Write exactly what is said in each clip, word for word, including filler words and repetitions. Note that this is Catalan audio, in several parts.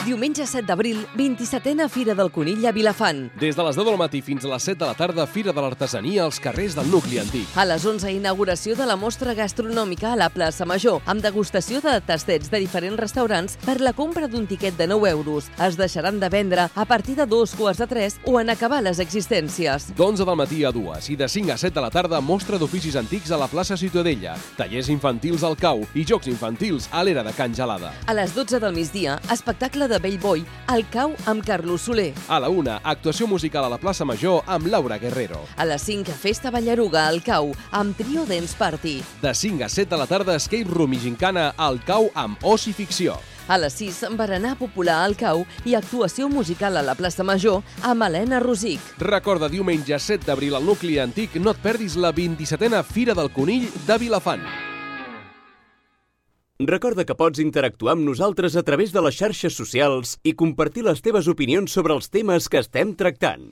Diumenge set d'abril, vint-i-setena Fira del Conill a Vilafant. Des de les deu del matí fins a les set de la tarda, Fira de l'Artesania als carrers del nucli antic. A les onze, inauguració de la mostra gastronòmica a la plaça Major, amb degustació de tastets de diferents restaurants per la compra d'un tiquet de nou euros. Es deixaran de vendre a partir de dos quarts de tres o en acabar les existències. D'onze del matí a dues i de cinc a set de la tarda, mostra d'oficis antics a la plaça Ciutadella, tallers infantils al Cau i jocs infantils a l'era de Can Gelada. A les dotze del migdia, espectacle de Bellboi al Cau amb Carlos Soler. A la una, actuació musical a la plaça Major amb Laura Guerrero. A les cinc, festa Ballaruga al Cau amb Trio Dance Party. De cinc a set de la tarda, escape room i gincana al Cau amb Oci Ficció. A les sis, berenar popular al Cau i actuació musical a la plaça Major amb Helena Rosic. Recorda, diumenge set d'abril al nucli antic, no et perdis la vint-i-setena Fira del Conill de Vilafant. Recorda que pots interactuar amb nosaltres a través de les xarxes socials i compartir les teves opinions sobre els temes que estem tractant.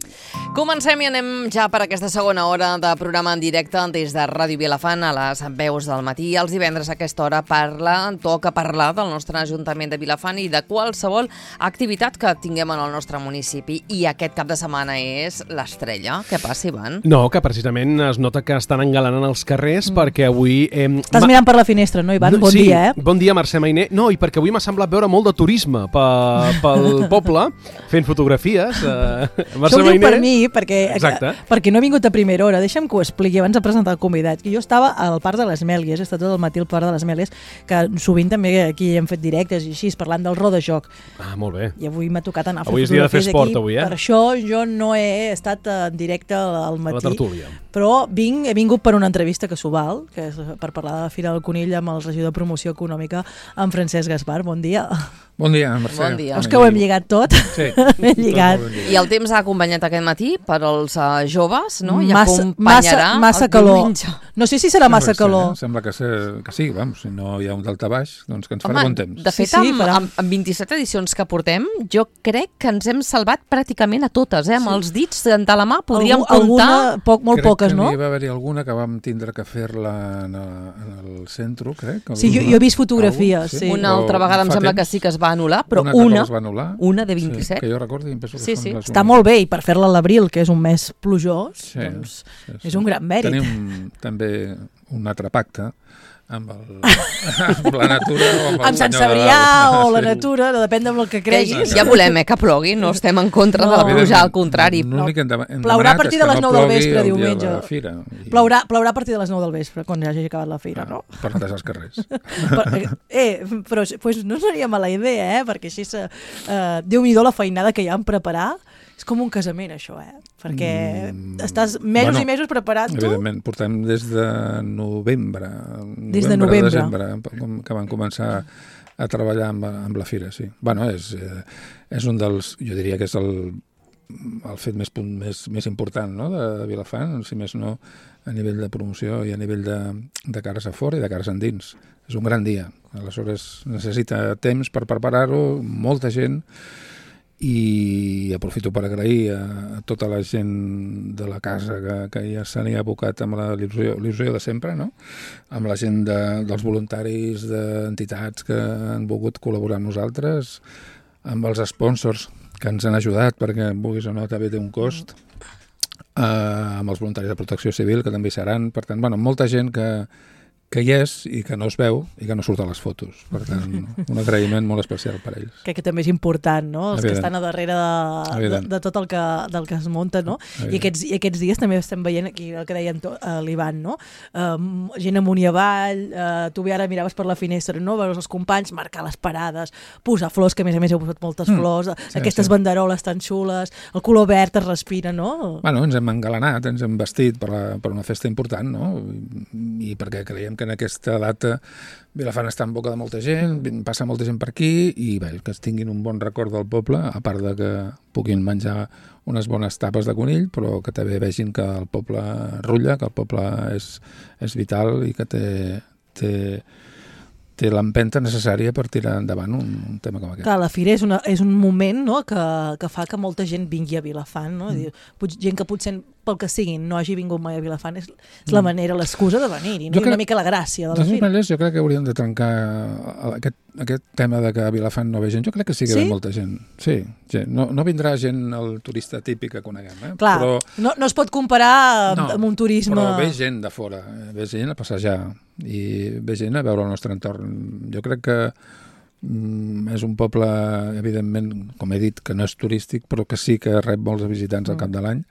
Comencem i anem ja per aquesta segona hora de programa en directe des de Ràdio Vilafant a les veus del matí. Els divendres a aquesta hora parla, toca parlar del nostre Ajuntament de Vilafant i de qualsevol activitat que tinguem en el nostre municipi. I aquest cap de setmana és l'Estrella. Què passa, Ivan? No, que precisament es nota que estan engalanant els carrers mm. perquè avui... Eh, Estàs mirant per la finestra, no, Ivan? Bon sí. dia, eh? Bon dia, Mercè Mainer. No, i perquè avui m'ha semblat veure molt de turisme pel poble, fent fotografies. Uh, Això ho diu per mi, perquè, Exacte. perquè no he vingut a primera hora. Deixa'm que ho expliqui abans de presentar el convidat. Jo estava al Parc de les Mèlies, he estat tot el matí al Parc de les Mèlies, que sovint també aquí hem fet directes i així, parlant del rodajoc. Ah, molt bé. I avui m'ha tocat anar a fer avui és dia de fer esport, aquí. avui, eh? Per això jo no he estat en directe al matí. A la tertúlia. Però vinc, he vingut per una entrevista que s'ho val, que és per parlar de la Fira del Conill amb el regidor de Promoció Econòmica, en Francesc Gaspar. Bon dia. Bon dia, Mercè. Bon dia. És que ho hem lligat tot. Sí. hem lligat. I el temps ha acompanyat aquest matí per als uh, joves, no? I massa, acompanyarà massa, massa el calor. diumenge. No sé si serà Sembla massa que calor. Sí, sembla que, ser, que sí, vamos, si no hi ha un daltabaix, doncs que ens farà Home, bon temps. de fet, Sí, sí, amb, farà. amb, amb vint-i-set edicions que portem, jo crec que ens hem salvat pràcticament a totes, eh? Amb Sí. els dits de la mà podríem Algú, comptar... alguna, poc, molt crec poques, que no? n'hi va haver-hi alguna que vam tindre que fer-la en, en el centre, crec. Sí, jo, jo he vist fotografies, sí. Una Però altra vegada em fa sembla temps, que sí que es va anul·lar, però una, una, es va anul·lar. una de vint-i-set. Sí, que jo recordo i em penso que Sí, són sí. les Està úniques. molt bé, i per fer-la a l'abril, que és un mes plujós, Sí, doncs sí, sí. és un gran mèrit. Tenim també un altre pacte amb, el, amb la natura o amb el Amb Sant Senyor de Cebrià dalt. o la Sí. natura, depèn del que Que creguis. ja volem, eh, que plogui, no estem en contra No. de la pluja, Evidentment, al contrari. l'únic que hem dem- hem Plaurà a demanat partir és de que les no nou del plogui vespre, el dia de diumenge. la fira. I- Plaurà, plaurà a partir de les nou del vespre, quan ja hagi acabat la fira, no? per netejar els carrers. Per, eh, però pues no seria mala idea, eh? Perquè així, se, eh, Déu-n'hi-do la feinada que hi ha en preparar. És com un casament, això, eh? Perquè Mm, estàs mesos bueno, i mesos preparant-ho. Evidentment, portem des de novembre. Des de novembre. Desembre, com- que van començar a treballar amb, amb la fira, sí. Bueno, és, eh, és un dels, jo diria que és el, el fet més, punt, més, més important, no?, de Vilafant, si més no a nivell de promoció i a nivell de, de cares a fora i de cares endins. És un gran dia. Aleshores, necessita temps per preparar-ho, molta gent, i aprofito per agrair a, a tota la gent de la casa que, que ja se n'hi ha abocat amb la il·lusió, il·lusió de sempre, no? Amb la gent de, dels voluntaris, d'entitats que han volgut col·laborar amb nosaltres, amb els sponsors que ens han ajudat perquè, vulguis o no, també té un cost, eh, amb els voluntaris de protecció civil, que també hi seran. Per tant, bueno, molta gent que, que hi és i que no es veu i que no surt a les fotos. Per tant, un agraïment molt especial per ells. Crec que també és important, no? Els Evident. que estan a darrere de, de, de tot el que, del que es munta, no? I aquests, I aquests dies també estem veient aquí el que deia uh, l'Ivan, no? Uh, gent amunt i avall, uh, tu ara miraves per la finestra, no? Veus els companys marcar les parades, posar flors, que a més a més heu posat moltes Mm, flors, sí, aquestes sí. banderoles tan xules, el color verd es respira, no? Bueno, ens hem engalanat, ens hem vestit per, la, per una festa important, no? I, i perquè creiem que en aquesta data Vilafant està en boca de molta gent, passa molta gent per aquí i bé, que es tinguin un bon record del poble, a part de que puguin menjar unes bones tapes de conill, però que també vegin que el poble rutlla, que el poble és, és vital i que té, té, té l'empenta necessària per tirar endavant un, un tema com aquest. Clar, la fira és, una, és un moment, no?, que, que fa que molta gent vingui a Vilafant, no? Mm. Diu, pot- gent que potser pel que siguin no hagi vingut mai a Vilafant, és, és la manera, l'excusa de venir-hi, no? I una mica la gràcia de la fira. De totes fira. maneres, jo crec que hauríem de trencar aquest, aquest tema de que a Vilafant no ve gent. Jo crec que sí que sí? ve molta gent. Sí, gent. No, no vindrà gent el turista típic que coneguem. Eh? Clar, però, no, no es pot comparar no, amb un turisme... Però ve gent de fora, ve gent a passejar i ve gent a veure el nostre entorn. Jo crec que mm, és un poble, evidentment, com he dit, que no és turístic, però que sí que rep molts visitants al cap de l'any.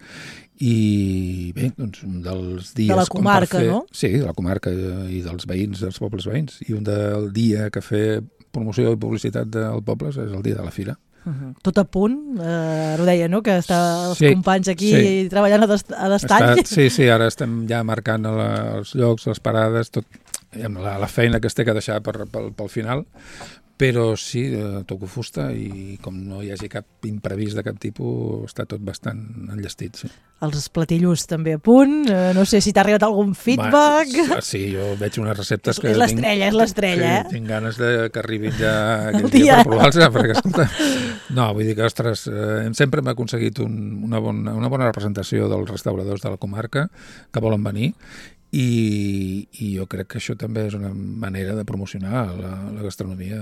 I bé, doncs un dels dies... De la comarca, fer, no? Sí, de la comarca i dels veïns, dels pobles veïns. I un del dia que fer promoció i publicitat del poble és el dia de la fira. Uh-huh. Tot a punt, eh, ho deia, no?, que està els sí, companys aquí sí. treballant a, dest a destall. Està, sí, sí, ara estem ja marcant la, els llocs, les parades, tot, la, la feina que es té que deixar per, pel, pel final. Però sí, eh, toco fusta i com no hi hagi cap imprevist de cap tipus, està tot bastant enllestit, sí. Els platillos també a punt, eh, no sé si t'ha arribat algun feedback. Va, sí, jo veig unes receptes que... És l'estrella, és l'estrella, eh? Tinc ganes de que arribin ja aquell dia per provar-los, perquè, escolta... No, vull dir que, ostres, eh, sempre hem aconseguit un, una, bona, una bona representació dels restauradors de la comarca que volen venir. I, i jo crec que això també és una manera de promocionar la, la gastronomia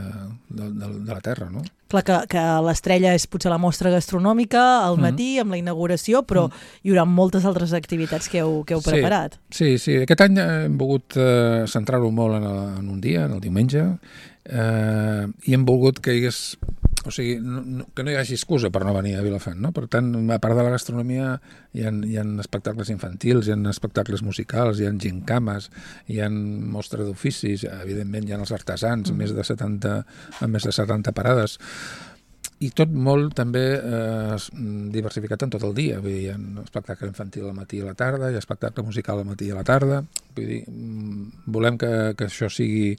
de, de, de la terra, no? Clar que, que l'estrella és potser la mostra gastronòmica al matí, mm. amb la inauguració, però mm. hi haurà moltes altres activitats que heu, que heu sí, preparat. Sí, sí. Aquest any hem volgut eh, centrar-ho molt en, el, en un dia, en el diumenge, eh, i hem volgut que hi hagués... O sigui, no, no, que no hi hagi excusa per no venir a Vilafant, no? Per tant, a part de la gastronomia, hi ha, hi ha espectacles infantils, hi ha espectacles musicals, hi ha gincames, hi ha mostra d'oficis, evidentment hi ha els artesans, mm. més de setanta, amb més de setanta parades, i tot molt també eh, diversificat en tot el dia. Vull dir, hi ha espectacle infantil al matí i a la tarda, hi ha espectacle musical al matí i a la tarda. Vull dir, volem que, que això sigui...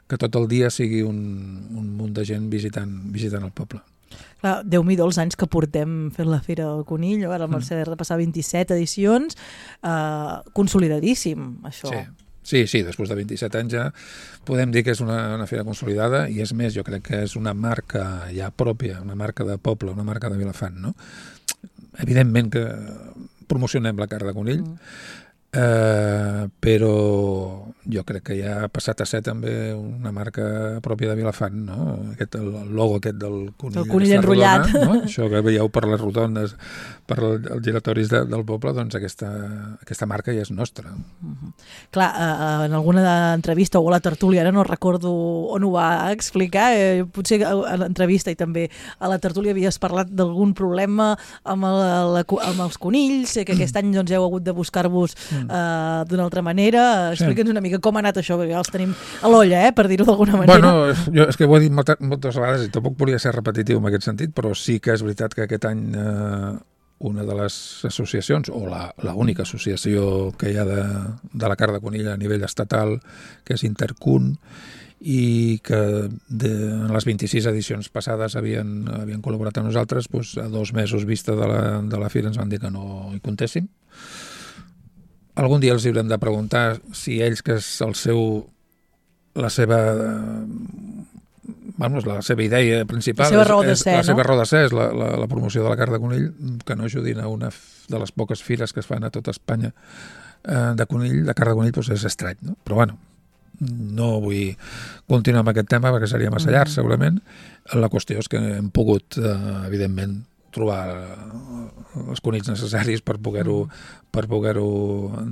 que tot el dia sigui un, un munt de gent visitant, visitant el poble. Clar, Déu-n'hi-do els anys que portem fent la Fira del Conill, ara el Mercè de repassar vint-i-set edicions, eh, consolidadíssim, això. Sí. Sí, sí, després de vint-i-set anys ja podem dir que és una, una fira consolidada i és més, jo crec que és una marca ja pròpia, una marca de poble, una marca de Vilafant, no? Evidentment que promocionem la carn de conill, mm. Uh, però jo crec que ja ha passat a ser també una marca pròpia de Vilafant, no? Aquest, el logo aquest del conill, el conill enrotllat, rodona, no? Això que veieu per les rotondes, per els giratoris de, del poble, doncs aquesta, aquesta marca ja és nostra. Uh-huh. Clar, uh, en alguna entrevista o a la tertúlia, ara no recordo on ho va explicar, eh, potser a l'entrevista i també a la tertúlia havies parlat d'algun problema amb, el, la, amb els conills, que aquest any doncs, heu hagut de buscar-vos Uh, d'una altra manera. Explica'ns sí. una mica com ha anat això, perquè ja els tenim a l'olla, eh, per dir-ho d'alguna manera. Bueno, jo és que ho he dit moltes, moltes vegades i tampoc volia ser repetitiu en aquest sentit, però sí que és veritat que aquest any eh, una de les associacions, o la, la única associació que hi ha de, de la carn de conill a nivell estatal, que és Intercun, i que de, en les vint-i-sis edicions passades havien, havien col·laborat amb nosaltres, doncs, a dos mesos vista de la, de la fira ens van dir que no hi comptéssim. Algun dia els haurem de preguntar si ells, que és el seu, la seva, vamos, la seva idea principal, la seva raó de ser, és, la seva no? raó de ser és la, la, la promoció de la carn de conill, que no ajudin a una de les poques fires que es fan a tota Espanya eh, de conill, de carn de conill, doncs és estrany, no? Però bueno, no vull continuar amb aquest tema perquè seria massa llarg, segurament. La qüestió és que hem pogut, eh, evidentment, trobar els conills necessaris per poder-ho per poder-ho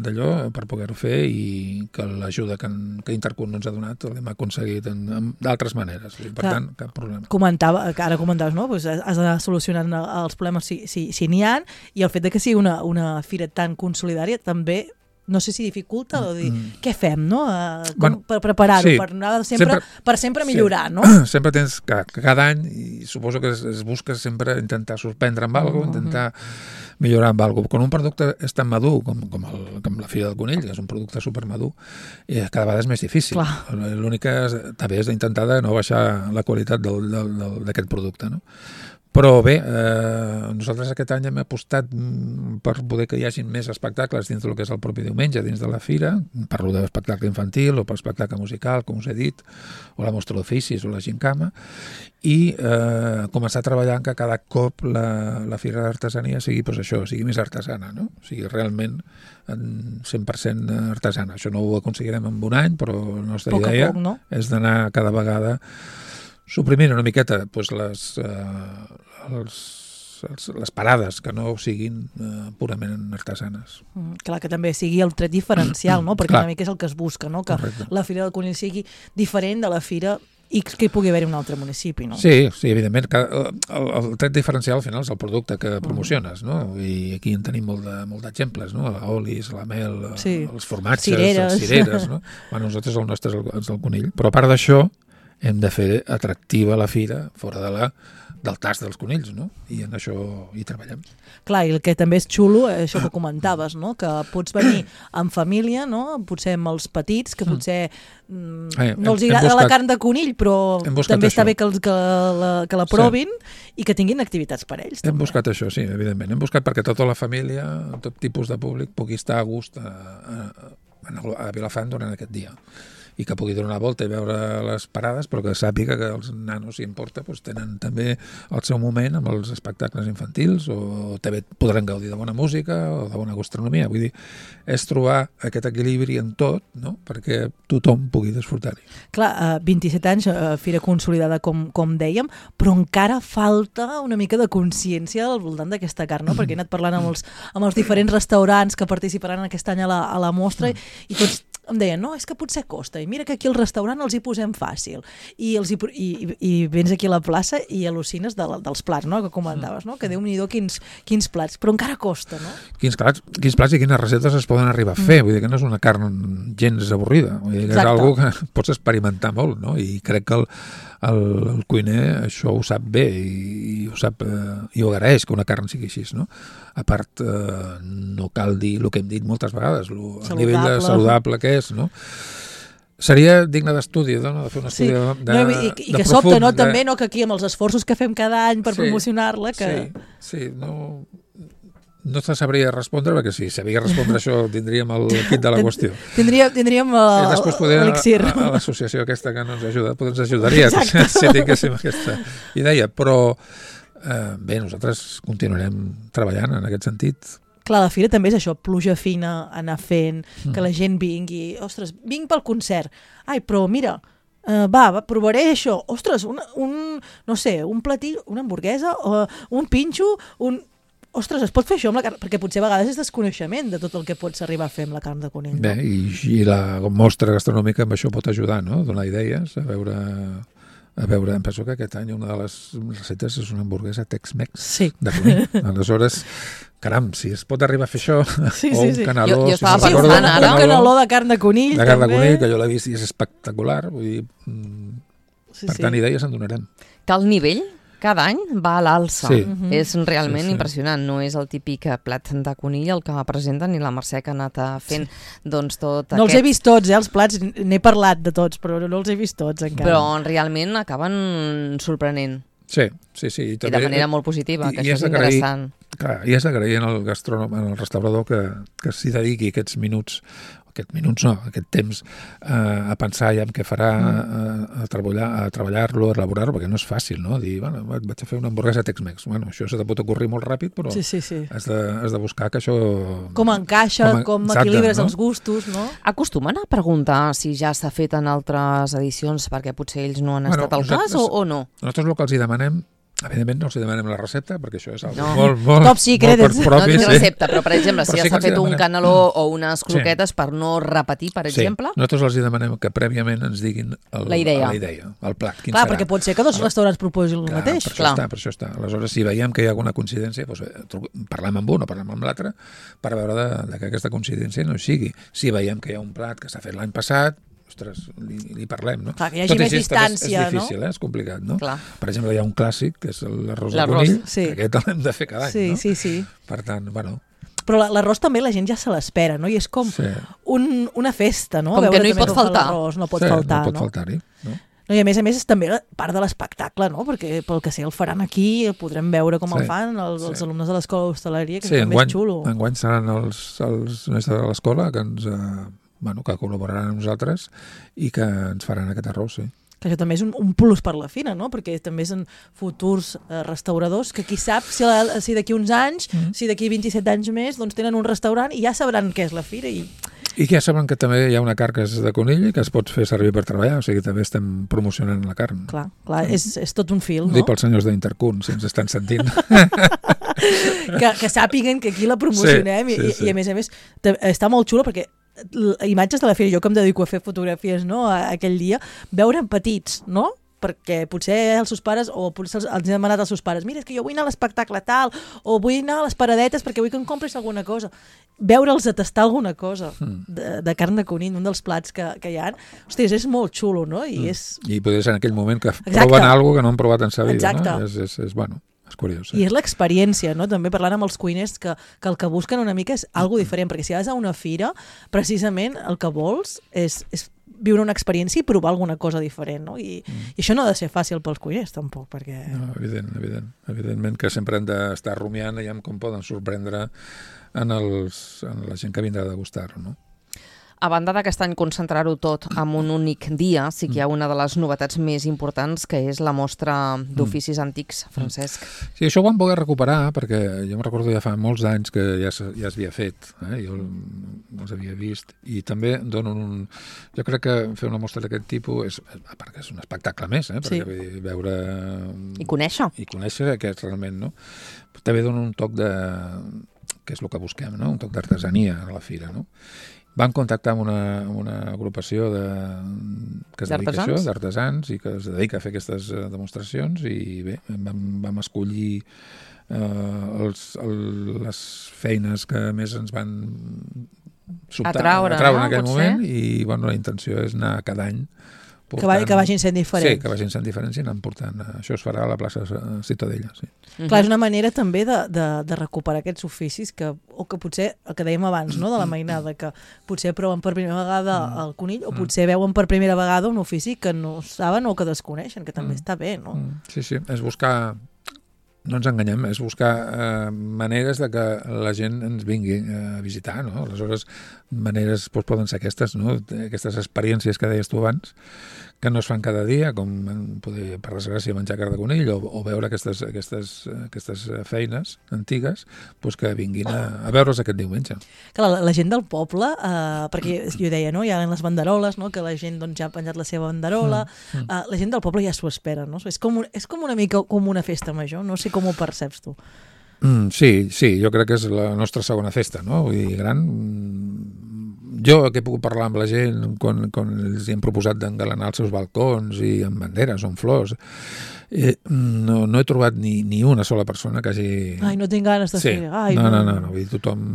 d'allò, per poder-ho fer, i que l'ajuda que, que Intercun ens ha donat l'hem aconseguit d'altres maneres. Per Clar, tant, cap problema. Comentava, ara comentaves, no? Pues has de solucionar els problemes si, si, si n'hi ha, i el fet de que sigui una, una fira tan consolidària també no sé si dificulta o dir, mm. què fem, no? Uh, com, bueno, per preparar-ho, sí, per, anar sempre, sempre, per sempre millorar, sí. no? Sempre tens que, que cada any, i suposo que es, es busca sempre intentar sorprendre amb alguna cosa, intentar millorar amb alguna cosa. Quan un producte és tan madur com, com, el, com la Fira del Conill, que és un producte supermadur, eh, cada vegada és més difícil. L'únic que és, també és d'intentar de no baixar la qualitat d'aquest producte, no? Però bé, eh, nosaltres aquest any hem apostat per poder que hi hagi més espectacles dins del que és el propi diumenge, dins de la fira. Parlo d'espectacle infantil o per espectacle musical, com us he dit, o la mostra d'oficis o la gincama, i eh, començar a treballar en que cada cop la, la fira d'artesania sigui, doncs això, sigui més artesana, no? O sigui, realment cent per cent artesana. Això no ho aconseguirem en un any, però la nostra poc idea poc, no? és d'anar cada vegada suprimint una miqueta doncs, les, eh, els, els, les parades que no siguin eh, purament artesanes. Mm, clar, que també sigui el tret diferencial, no? Perquè clar. una mica és el que es busca, no? Que Correcte. La Fira del Conill sigui diferent de la Fira X que hi pugui haver un altre municipi, no? Sí, sí, evidentment. Que el, el tret diferencial al final és el producte que promociones, no? I aquí en tenim molt de, molt d'exemples, no? La olis, la mel, Sí. els formatges, Cireres. les cireres, no? Bueno, nosaltres el nostre és el, és el conill. Però a part d'això, hem de fer atractiva la fira fora de la, del tast dels conills, no? I en això hi treballem. Clar, i el que també és xulo, eh, això que comentaves, no? Que pots venir en família, no? Potser amb els petits, que potser mm, Eh, no els hem- hem agrada buscat- la carn de conill, però hem buscat també està això. bé que, els, que, la, que la provin i que tinguin activitats per ells. Hem també. buscat això, sí, evidentment. Hem buscat perquè tota la família, tot tipus de públic, pugui estar a gust a, a, a Vilafant durant aquest dia. I que pugui donar una volta i veure les parades, però que sàpiga que els nanos, si importa, doncs tenen també el seu moment amb els espectacles infantils o també podran gaudir de bona música o de bona gastronomia. Vull dir, és trobar aquest equilibri en tot, no?, perquè tothom pugui disfrutar-hi. Clar, eh, vint-i-set anys, eh, fira consolidada, com, com dèiem, però encara falta una mica de consciència al voltant d'aquesta carn, no? Perquè he anat parlant amb els, amb els diferents restaurants que participaran aquest any a la, a la mostra i, i tots em deien, no, és que potser costa, i mira que aquí al restaurant els hi posem fàcil, i, els hi, i, i, i vens aquí a la plaça i al·lucines de, dels plats, no?, que comentaves, no?, que Déu-n'hi-do quins, quins plats, però encara costa, no? Quins plats, quins plats i quines receptes es poden arribar a fer, vull dir que no és una carn gens avorrida, vull dir que Exacte. és algo que pots experimentar molt, no?, i crec que el, el, el cuiner això ho sap bé i, i ho sap eh, i ho agraeix que una carn sigui així, no? A part, eh, no cal dir el que hem dit moltes vegades, lo, el nivell de saludable que és, no? Seria digne d'estudi, no?, de fer un estudi Sí. de, de, no, I, i de que sobte, profund, no?, de... també, no?, que aquí amb els esforços que fem cada any per Sí, promocionar-la, que... Sí, sí, no... No te sabria respondre, perquè si sabia respondre això tindríem el kit de la qüestió. Tindria, tindríem I uh, després poder, a, l'elixir. a, a l'associació aquesta que no ens ajuda, potser ens ajudaria si tinguéssim aquesta idea, però eh, bé, nosaltres continuarem treballant en aquest sentit. Clar, la fira també és això, pluja fina, anar fent, mm. que la gent vingui, ostres, vinc pel concert, ai, però mira, uh, va, va, provaré això, ostres, un, un no sé, un platí, una hamburguesa, uh, un pinxo, un... Ostres, es pot fer això amb la carn? Perquè potser a vegades és desconeixement de tot el que pots arribar a fer amb la carn de conill. Bé, No? i, i la mostra gastronòmica amb això pot ajudar, no?, donar idees, a veure... A veure, em penso que aquest any una de les recetes és una hamburguesa Tex-Mex Sí. de conill. Aleshores, caram, si es pot arribar a fer això, Sí, o sí, un sí. canaló... Jo- jo si estava se'n Sí, pensant recorda, ara. un canaló de carn de conill, de carn de també. conill, que jo l'he vist i és espectacular, vull dir, mm, Sí, per sí. tant, idees en donarem. Que el nivell cada any va a l'alça. Sí. Mhm. És realment Sí, sí. impressionant. No és el típic plat de conill el que presenten ni la Mercè que ha anat fent doncs tot No els aquest... he vist tots, eh, els plats, n'he parlat de tots, però no els he vist tots encara. Però realment acaben sorprenent. Sí, sí, sí. I, I de manera molt positiva, que i això és és d'agrair- interessant. Clar, i és d'agrair en el gastrònom, en el restaurador que, que s'hi dediqui aquests minuts, aquests minuts no, aquest temps eh, a pensar ja en què farà, a, a treballar, a treballar-lo, a elaborar-lo, perquè no és fàcil, no? Dir, bueno, vaig a fer una hamburguesa Tex-Mex. Bueno, això se te pot ocorrir molt ràpid, però Sí, sí, sí. has, de, has de buscar que això... Com encaixa, Com com, a- exacte, equilibres no? els gustos, no? Acostumen a preguntar si ja s'ha fet en altres edicions perquè potser ells no han Bueno, estat al cas nosaltres- o, o no? Nosaltres el que els hi demanem, evidentment no els hi demanem la recepta, perquè això és algo No. molt, molt, Top secret, molt és- per No propi, tinc sí. recepta, però per exemple, si Però ja sí que s'ha els hi fet un demanem. caneló o unes croquetes per no repetir, per exemple... Sí. Nosaltres els hi demanem que prèviament ens diguin el, La idea. la idea, el plat, quin Clar, serà. perquè pot ser que dos restaurants proposin el Clar, mateix. Per això Clar. està, per això està. Aleshores, si veiem que hi ha alguna coincidència, doncs, eh, tru- parlem amb un o parlem amb l'altre per veure de, de que aquesta coincidència no hi sigui. Si veiem que hi ha un plat que s'ha fet l'any passat, ostres, li, li parlem, no? Clar, que hi hagi Tot i més així, també distància, és, és difícil, no? eh? És complicat, no? Clar. Per exemple, hi ha un clàssic, que és l'arròs de L'arròs, conill, sí. que aquest l'hem de fer cada any, Sí, no? sí, sí. Per tant, bueno, Però la- l'arròs també la gent ja se l'espera, no? I és com sí. un, una festa, no? Com A que veure no hi també pot com fa faltar. l'arròs, no pot sí, faltar, no pot no? faltar-hi, no? No, I a més a més és també part de l'espectacle, no? Perquè pel que sé el faran aquí, el podrem veure com sí, el fan els, sí. els alumnes de l'escola d'hostaleria, que sí, també enguany, és xulo. Enguany seran els, els mestres de l'escola que ens eh, bueno, que col·laboraran amb nosaltres i que ens faran aquest arròs, sí. Que això també és un, un plus per la fira, no? Perquè també són futurs eh, restauradors que qui sap si, la, si d'aquí uns anys, mm. si d'aquí vint-i-set anys més, doncs tenen un restaurant i ja sabran què és la fira. I, I que ja saben que també hi ha una carn que és de conill i que es pot fer servir per treballar, o sigui, també estem promocionant la carn. Clar, clar, és, és tot un fil, no? Dic pels senyors d'Intercun, si ens estan sentint. que, que sàpiguen que aquí la promocionem sí, sí, i, sí. i a més a més està molt xulo perquè imatges de la fira, jo que em dedico a fer fotografies, no, aquell dia, veure petits, no? Perquè potser els seus pares, o potser els, els han demanat als seus pares, mira, és que jo vull anar a l'espectacle tal, o vull anar a les paradetes perquè vull que em compris alguna cosa. Veure'ls a tastar alguna cosa de, de carn de conill, un dels plats que, que hi ha. Hòsties, és molt xulo, no? I, és... I potser és en aquell moment que Exacte. proven alguna que no han provat en sa vida, Exacte. no? És, és, és, bueno... És curiós, sí. I és l'experiència, no? També parlant amb els cuiners que, que el que busquen una mica és algo diferent, perquè si vas a una fira, precisament el que vols és, és viure una experiència i provar alguna cosa diferent, no? I, mm. i això no ha de ser fàcil pels cuiners, tampoc, perquè... No, evident, evident. Evidentment que sempre hem d'estar rumiant i com poden sorprendre en, els, en la gent que vindrà a degustar-ho, no? A banda d'aquest any concentrar-ho tot en un únic dia, sí que hi ha una de les novetats més importants, que és la mostra d'oficis mm. antics, Francesc. Sí, això ho vam poder recuperar, perquè jo em recordo ja fa molts anys que ja, ja s'havia fet, eh? Jo els havia vist, i també dono un... Jo crec que fer una mostra d'aquest tipus és, a part que és un espectacle més, eh? Perquè sí. veure... I conèixer. I conèixer què és realment, no? També dona un toc de... que és el que busquem, no? Un toc d'artesania a la fira, no? Vam contactar amb una, amb una agrupació de, que es dedica a això, d'artesans, i que es dedica a fer aquestes demostracions, i bé, vam, vam escollir eh, els, el, les feines que més ens van sobtar, atraure, atraure no? en aquell Potser? moment, i bueno, la intenció és anar cada any portant, que, va, que vagin sent diferents. Sí, que vagin sent diferents i anant portant. Això es farà a la plaça Ciutadella, sí. Mm-hmm. Clar, és una manera també de, de, de recuperar aquests oficis que, o que potser, el que dèiem abans, no?, de la mainada, que potser proven per primera vegada el conill, o potser veuen per primera vegada un ofici que no saben o que desconeixen, que també està bé, no? Sí, sí, és buscar... No ens enganyem, és buscar eh, maneres de que la gent ens vingui a visitar, no? Aleshores, maneres doncs, poden ser aquestes, no? Aquestes experiències que deies tu abans, que no es fan cada dia, com poder, per desgràcia, menjar carn de conill o, o veure aquestes, aquestes, aquestes feines antigues, doncs que vinguin a, a veure's aquest diumenge. Que la, la gent del poble, eh, perquè jo deia, no? Hi ha les banderoles, no? Que la gent doncs, ja ha penjat la seva banderola, mm. eh, la gent del poble ja s'ho espera, no? És com, un, és com una mica com una festa major, no sé com ho perceps tu. Mm, sí, sí, jo crec que és la nostra segona festa, no? Vull dir, gran... Jo que he pogut parlar amb la gent quan, quan els hem proposat d'engalanar els seus balcons i amb banderes o amb flors, eh, no, no he trobat ni, ni una sola persona que hagi... Ai, no tinc ganes de sí. fer... Ai, no, no, no, no, vull dir, tothom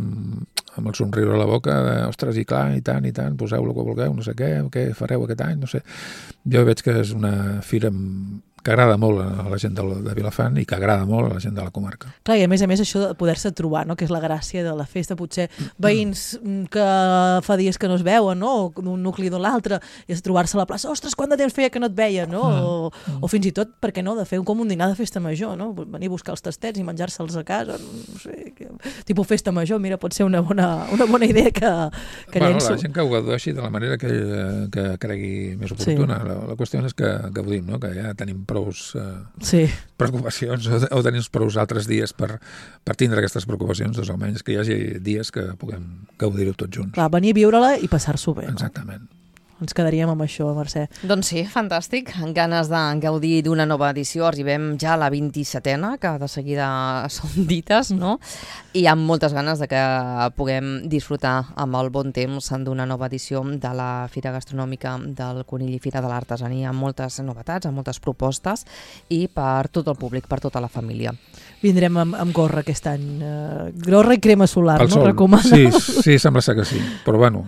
amb el somriure a la boca, de, ostres, i clar, i tant, i tant, poseu el que vulgueu, no sé què, què fareu aquest any, no sé. Jo veig que és una fira que agrada molt a la gent de, de Vilafant i que agrada molt a la gent de la comarca. Clar, i a més a més això de poder-se trobar, no?, que és la gràcia de la festa, potser veïns que fa dies que no es veuen, no?, o d'un nucli d'un l'altre, i és trobar-se a la plaça, ostres, quant de temps feia que no et veia, no?, o, o fins i tot, per què no, de fer com un dinar de festa major, no?, venir a buscar els tastets i menjar-se'ls a casa, no sé, que, tipus festa major, mira, pot ser una bona, una bona idea que, que bueno, llenço. La gent que ho gaudeixi de la manera que, que cregui més oportuna. Sí. La, la qüestió és que gaudim, no?, que ja tenim prous eh, sí. preocupacions o, o tenim prous altres dies per, per tindre aquestes preocupacions, doncs almenys que hi hagi dies que puguem gaudir-ho tots junts. Clar, venir a viure-la i passar-s'ho bé. Exactament. No? Ens quedaríem amb això, Mercè. Doncs sí, fantàstic. En ganes de gaudir d'una nova edició. Arribem ja a la vint-i-setena, que de seguida són dites, no? I amb moltes ganes de que puguem disfrutar amb el bon temps d'una nova edició de la Fira Gastronòmica del Conill i Fira de l'Artesania, amb moltes novetats, amb moltes propostes i per tot el públic, per tota la família. Vindrem amb, amb gorra aquest any. Uh, gorra i crema solar, el no? Sol. Recomana. Sí, sí, sembla ser que sí. Però bueno...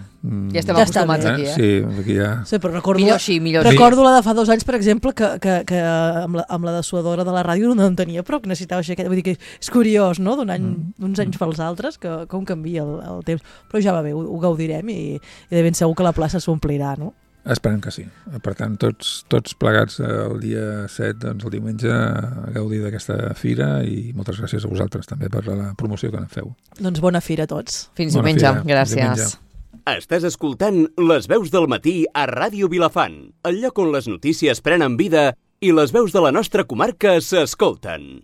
Ja estem ja acostumats eh? aquí, eh? Sí, aquí ja... Sí, però recordo millor així, millor així. Recordo la de fa dos anys, per exemple, que, que, que amb, la, amb la dessuadora de la ràdio no en tenia, però que necessitava així. Vull dir que és curiós, no?, d'un any, mm. uns anys pels altres, que com canvia el, el temps. Però ja va bé, ho, ho gaudirem i, i de ben segur que la plaça s'omplirà, no? Esperem que sí. Per tant, tots, tots plegats el dia set, doncs el diumenge, a gaudir d'aquesta fira i moltes gràcies a vosaltres també per la promoció que en feu. Doncs bona fira a tots. Fins diumenge. Gràcies. Diumenge. Estàs escoltant Les veus del matí a Ràdio Vilafant, el lloc on les notícies prenen vida i les veus de la nostra comarca s'escolten.